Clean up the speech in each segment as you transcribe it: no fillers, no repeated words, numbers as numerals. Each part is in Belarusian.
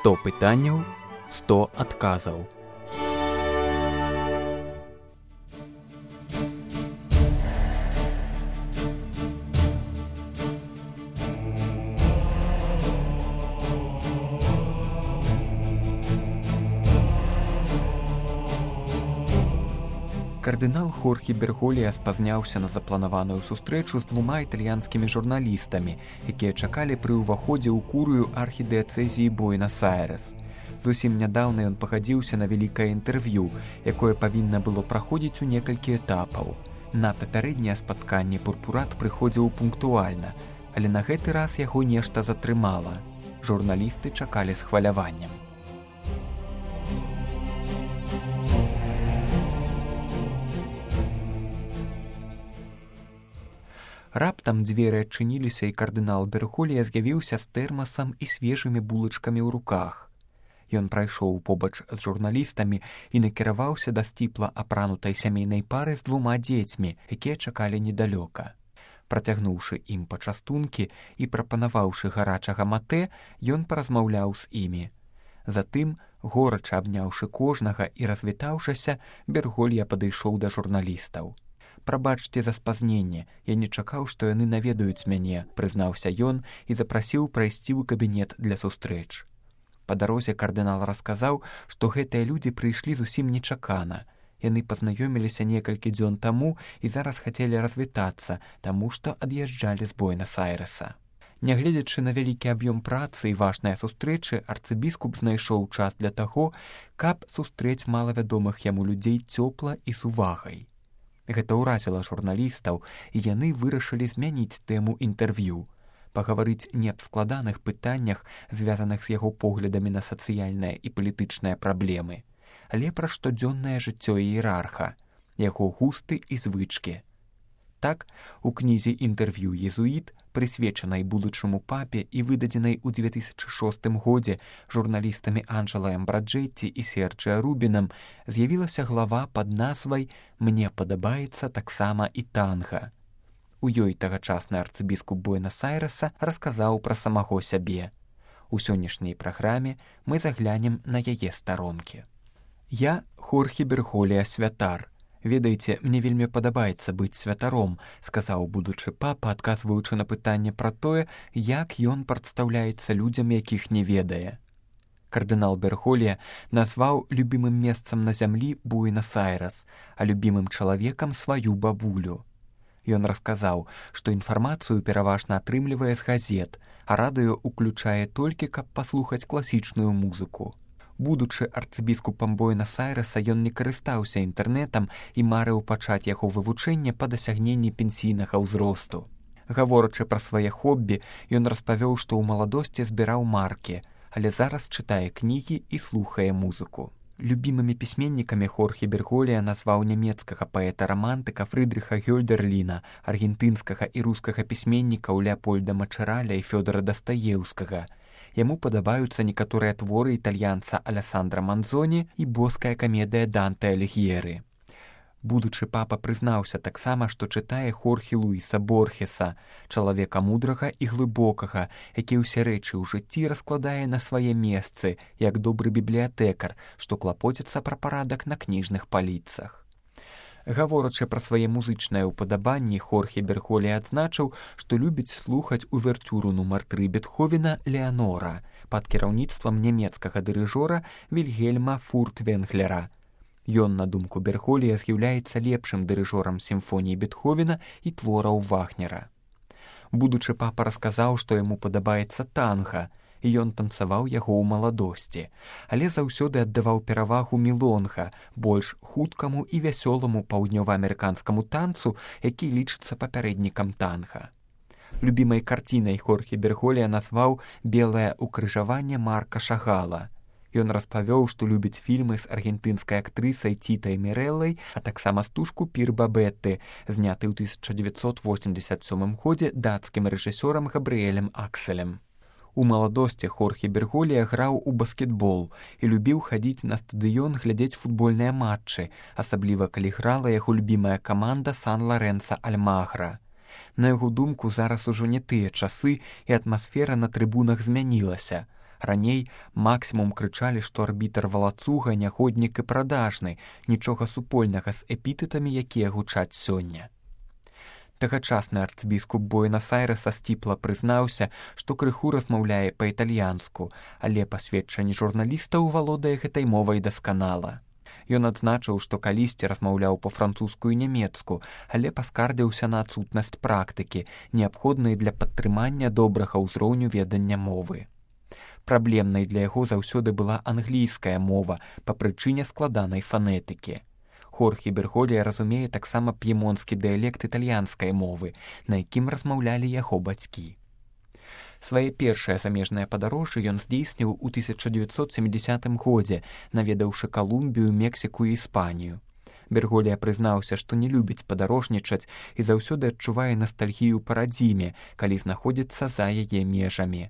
100 пытанняў, 100 адказаў. Кардынал Хорхе Берголья спазняўся на запланаваную сустрэчу з 2 італьянскімі журналістамі, якія чакалі пры ўваходзе ў курыю архідыяцэзіі Буэнас-Айрэс. Зусім нядаўна ён пагадзіўся на вялікае інтэрв'ю, якое павінна было праходзіць у некалькі этапаў. На папярэдняе спатканне пурпурат прыходзіў пунктуальна, але на гэты раз яго нешта затрымала. Журналісты чакалі з хваляваннем. Раптам дзверы адчыніліся, і кардынал Берголья з'явіўся з тэрмасам і свежымі булачкамі ў руках. Ён прайшоў побач з журналістамі і накіраваўся да сціпла апранутай сямейнай пары з 2 дзецьмі, якія чакалі недалёка. Працягнуўшы ім пачастункі і прапанаваўшы гарачага матэ, ён паразмаўляў з імі. Затым, горача абняўшы кожнага і развітаўшыся, Берголья падышоў да журналістаў. «Прабачце за спазненне, я не чакаў, што яны наведаюць мяне», прызнаўся ён і запрасіў прайсці ў кабінет для сустрэч. Па дарозе кардынал расказаў, што гэтыя людзі прыйшлі зусім нечакана. Яны пазнаёміліся некалькі дзён таму і зараз хацелі развітацца, таму што ад'язджалі з Буэнас-Айрэса. Нягледзячы на вялікі аб'ём працы і важныя сустрэчы, арцыбіскуп знайшоў час для таго, каб сустрэць малавядомых яму людзей цёпла і з увагай. Гэта ўразіла журналістаў, і яны вырашылі змяніць тэму інтэрв'ю, пагаварыць не аб складаных пытаннях, звязаных з яго поглядамі на сацыяльныя і палітычныя праблемы, але пра штодзённае жыццё іерарха, яго густы і звычкі. Так, у кнізе «Інтэрв'ю езуіт», прысвечанай будучаму папе і выдадзенай у 2006 годзе журналістамі Анджэлаем Браджэцці і Серджіа Рубінам, з'явілася глава пад назвай «Мне падабаецца таксама і танга». У ёй тагачасны арцыбіскуп Буэнас-Айрэса расказаў пра самого сябе. У сённяшняй праграме мы заглянем на яе старонкі. Я Хорхе Берголья святар. «Ведаеце, мне вельмі падабаецца быць святаром», сказаў будучы папа, адказваючы на пытанне пра тое, як ён прадстаўляецца людзям, якіх не ведае. Кардынал Берголья назваў любімым месцам на зямлі Буэнас-Айрэс, а любімым чалавекам сваю бабулю. Ён расказаў, што інфармацыю пераважна атрымлівае з газет, а радыё ўключае толькі, каб паслухаць класічную музыку. Будучы арцыбіскупам Буэнас-Айрэса, ён не карыстаўся інтэрнэтам і марыў пачаць яго вывучэнне па дасягненні пенсійнага ўзросту. Гаворачы пра свае хоббі, ён распавёў, што ў маладосці збіраў маркі, але зараз чытае кнігі і слухае музыку. Любімымі пісьменнікамі Хорхе Берголья назваў нямецкага паэта-рамантыка Фрыдрыха Гёльдерліна, аргентынскага і рускага пісьменнікаў Леапольда Мачараля і Фёдора Дастаеўскага. Яму падабаюцца некаторыя творы італьянца Алессандра Манзоні і боская камедыя Данте Аліг'ері. Будучы папа прызнаўся таксама, што чытае Хорхе Луіса Борхеса, чалавека мудрага і глыбокага, які ўсе рэчы ў жыцці раскладае на свае месцы, як добры бібліятэкар, што клапоціцца пра парадак на кніжных паліцах. Гаворачы пра свае музычныя ўпадабанні, Хорхе Берголья адзначыў, што любіць слухаць увертюру нумар 3 Бетховена «Леанора» пад кіраўніцтвам нямецкага дырыжора Вільгельма Фуртвенглера. Ён, на думку Берголья, з'яўляецца лепшым дырыжорам сімфоніі Бетховена і твораў Вагнера. Будучы папа расказаў, што яму падабаецца танга, і ён танцаваў яго ў маладосці, але заўсёды аддаваў перавагу мілонга, больш хуткаму і вясёламу паўднёваамерыканскаму танцу, які лічыцца папярэднікам танга. Любімай карцінай Хорхе Берголья назваў «Белае укрыжаванне» Марка Шагала. Ён распавёў, што любіць фільмы з аргентынскай актрысай Тітай Мірэллай, а таксама стужку «Пір Бабетты», зняты ў 1987 годзе дацкім рэжысёрам Габрыэлем Акселем. У маладосці Хорхе Берголья граў у баскетбол і любіў хадзіць на стадыён глядзець футбольныя матчы, асабліва калі грала яго любімая каманда Сан-Лорэнса Альмагра. На яго думку, зараз ужо не тыя часы, і атмасфера на трыбунах змянілася. Раней максімум крычалі, што арбітр валацуга, нягоднік і прадажны, нічога супольнага з эпітэтамі, якія гучаць сёння. Тагачасны арцбіскуп Буэнас-Айрэса сціпла прызнаўся, што крыху размаўляе па-італьянску, але па сведчанні журналістаў валодае гэтай мовай дасканала. Ён адзначыў, што калісьці размаўляў па-французску і нямецку, але паскардзіўся на адсутнасць практыкі, неабходнай для падтрымання добрага ўзроўню ведання мовы. Праблемнай для яго заўсёды была англійская мова па прычыне складанай фанетыкі. Хорхе Берхолія разумее таксама п'емонскі дыялект італьянскай мовы, на якім размаўлялі яго бацькі. Свае першыя замежныя падарожжы ён здзейсніў у 1970 годзе, наведаўшы Калумбію, Мексіку і Іспанію. Берголія прызнаўся, што не любіць падарожнічаць і заўсёды адчувае настальгію па радзіме, калі знаходзіцца за яе межамі.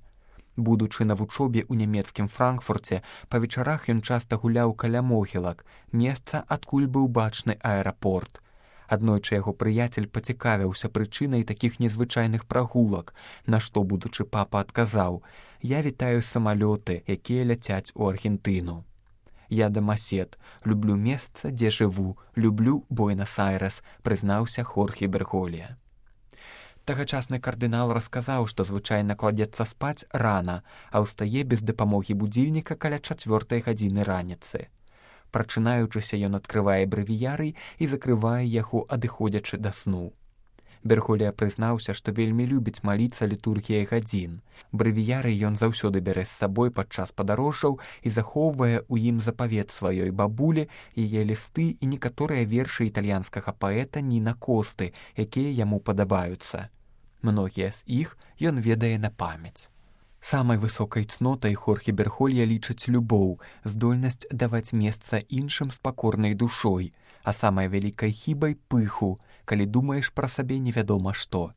Будучы на вучобе ў нямецкім Франкфурце, па вечарах ён часта гуляў каля могілак, месца, адкуль быў бачны аэрапорт. Аднойчы яго прыяцель пацікавіўся прычынай такіх незвычайных прагулак, на што будучы папа адказаў: «Я вітаю самалёты, якія ляцяць у Аргентыну. Я дамасед, люблю месца, дзе жыву, люблю Буэнас-Айрэс», прызнаўся Хорхе Берголія. Тагачасны кардынал расказаў, што звычайна кладзецца спаць рана, а ўстае без дапамогі будзільніка каля 4 гадзіны раніцы. Прачынаючыся, ён адкрывае брэвіярый і закрывае яго, адыходзячы да сну. Берголія прызнаўся, што вельмі любіць маліцца літургіяй гадзін. Брэвіярый ён заўсёды бярэ з сабой падчас падарожжаў і захоўвае ў ім запавет сваёй бабулі, яе лісты і некаторыя вершы італьянскага паэта Ніна Косты, якія яму падабаюцца. Многія з іх ён ведае на памяць. Самай высокай цнотай Хорхе Берхолія лічыць любоў, здольнасць даваць месца іншым з пакорнай душой, а самай вялікай хібай пыху, калі думаеш пра сабе невядома што.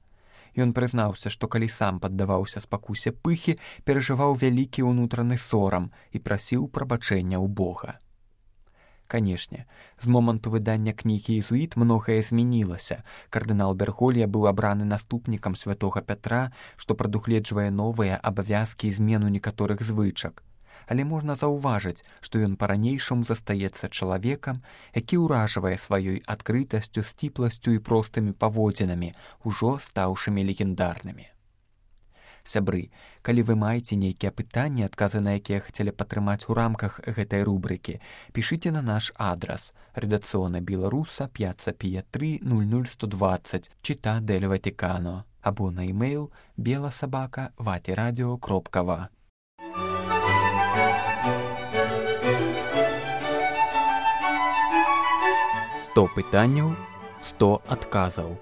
Ён прызнаўся, што калі сам паддаваўся спакусе пыхі, перажываў вялікі ўнутраны сорам і прасіў прабачэння ў Бога. Канешне, з моманту выдання кнігі «Езуіт» многае змянілася. Кардынал Берголія быў абраны наступнікам святога Пятра, што прадугледжвае новыя абавязкі і змену некаторых звычак. Але можна заўважыць, што ён па-ранейшаму застаецца чалавекам, які ўражвае сваёй адкрытасцю, сціпласцю і простымі паводзінамі, ужо стаўшымі легендарнымі. Сябры, калі вы маеце нейкія пытанні, адказы на якія хацелі падтрымаць у рамках гэтай рубрыкі, пішыце на наш адрас: редакцыона Беларуса, Пьяцца Пія 3, 00120, Città del Vaticano, або на e-mail bela@vatiradio.va. 100 пытанняў, 100 адказаў.